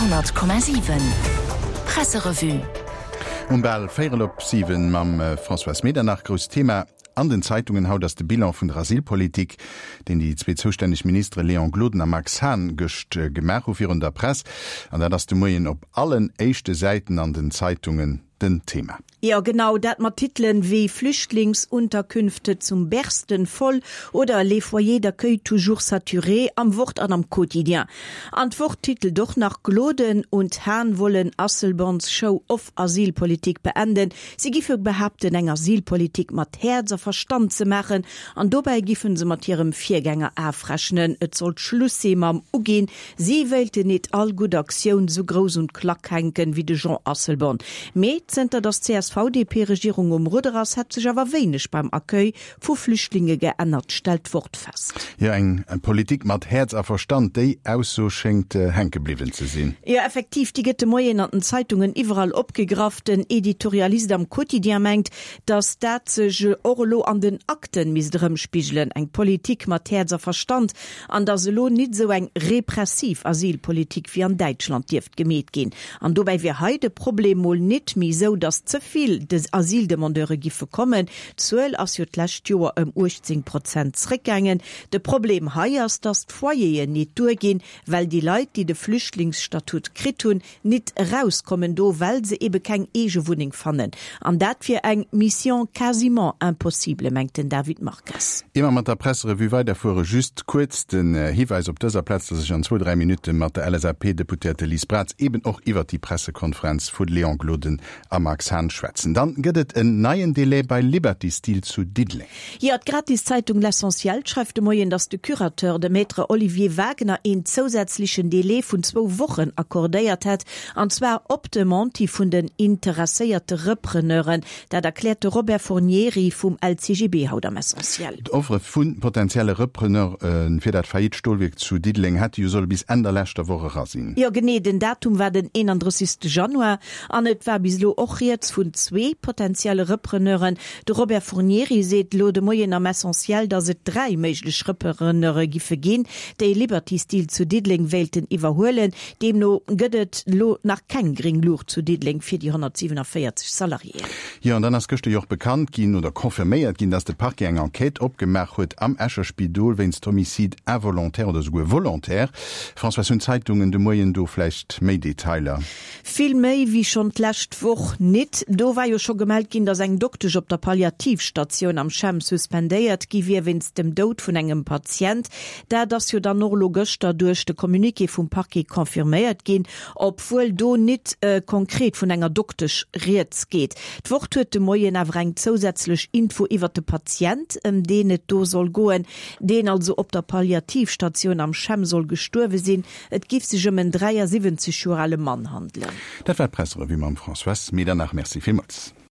100,7 Presserevue. Um bal véierel op 7 mam Françoise Medernach. Grousst Thema an den Zeitungen haut ass de Bilan vun der Asylpolitik, deen déi zwee zoustänneg Ministere Léon Gloden a Max Hahn gëscht gemaach hu virun der Press. An dat ass de Moien op allen éischte Säiten an den Zeitungen den Thema. Jo genau, dat mat Titelen wéi Flüchtlingsunterkünfte zum Bersten voll oder Les foyers d'accueil toujours saturés am Wort an am Quotidien. An d'Wort titelt och nach Gloden und Hahn wollen Asselborns Show-off-Asylpolitik beenden. Si giffe behaapten eng Asylpolitik mat Häerz a Verstand ze maachen an dobäi giffen se mat hirem Virgänger afrechnen. Et sollt Schluss si mam Uginn Si wéilten nit all gutt Aktioun sou grouss un d'Klack hänken wéi de Jean Asselborn. Mee zënter datt d'CSV-DP-Regierung um Rudder ass, hätt sech awer wéineg beim Accueil vu Flüchtlinge geännert, stellt d'Wort fest. Jo, eng Politik mat Häerz a Verstand, déi Ausso schéngt hänke bliwwen ze sinn. Jo, effektiv, déi gëtt de Moien an den Zeitungen iwwerall opgegraff. Den Editorialist am Quotidien mengt, datt dat sech och elo an den Akten misst erëmspigelen, eng Politik mat Häerz a Verstand, an datt elo nit esou eng repressiv Asylpolitik wéi an Däitschland dierft gemeet ginn. An dobäi wier hei de Problem mol nit méi esou, datt ze vill Asyldemandeure giffe kommen, d'Zuel ass jo d'lescht Joer ëm 18 Prozent zréckgaangen. De Problem hei ass, datt d'Foyeren nit duerginn, well déi Leit, déi de Flüchtlingsstatut kritt hunn, nit erauskommen do, well se ebe keng eege Wunneng fannen. An dat wier eng Mission quasiment impossible, mengt den David Marques. Ier mer mat der Presserevue weiderfuere, just kuerz den Hiwäis op dëser Plaz, dass ech an zwou, dräi Minutte mat der LSAP-Deputéierte Liz Braz eben och iwwert déi Pressekonferenz vu Léon Gloden a Max Hahn schwätzen. Dann gëtt et en neien Delai bei Liberty Steel zu Diddeleng. Jo, d'Gratiszeitung L'Essentiel schreift de Moien, datt de Curateur, de Maître Olivier Wagner, een zousätzlechen Delai vun zwou Wochen accordéiert hätt, an zwar op Demande hi vun den interesséierte Repreneuren. Dat erkläert de Robert Fornieri vum LCGB haut am Essentiel. D'Offere vu potentielle Repreneure fir dat faillite Stolwierk zu Diddeleng hätte jo solle bis Enn der leschter Woch era sinn. Jo genee, den Datum war den 31 Januar an et war bis elo och rieds vun zwee potentielle Repreneuren. De Robert Fornieri seet elo de Moien am Essentiel, datt et 3 méiglech Repreneure giffe ginn, déi Liberty Steel zu Diddeleng wéilten iwwerhuelen. Deemno gëtt et elo nach keng gréng Luucht zu Diddeleng fir déi 147 Salariéen. Jo, an dann ass gëschter jo och bekannt ginn oder confirméiert ginn, datt de Parquet eng Enquête opgemaach huet am Escher Spidol wéinst Homicide involontaire oder souguer volontaire. Françoise, hunn d'Zeitungen de Moien do vläicht méi Detailer? Vill méi wéi schonn d'lescht Woch nit. Do war jo scho gemellt ginn, datt eng Doktesch op der Palliativstatioun am CHEM suspendéiert gi wier wéinst dem Doud vun engem Patient. Dat ass jo dann och elo gëschter duerch de Communiqué vum Parquet confirméiert ginn, obwuel do nit konkret vun enger Doktesch rieds geet. D'Wort huet de Moien awer eng zousätzlech Info iwwert de Patient, ëm deen et do soll goen, deen also op der Palliativstatioun am CHEM soll gestuerwe sinn. Et giff sech ëm en 73 Joer ale Mann handelen. Dat war d'Presserevue mam Françoise Medernach. Merci villmools.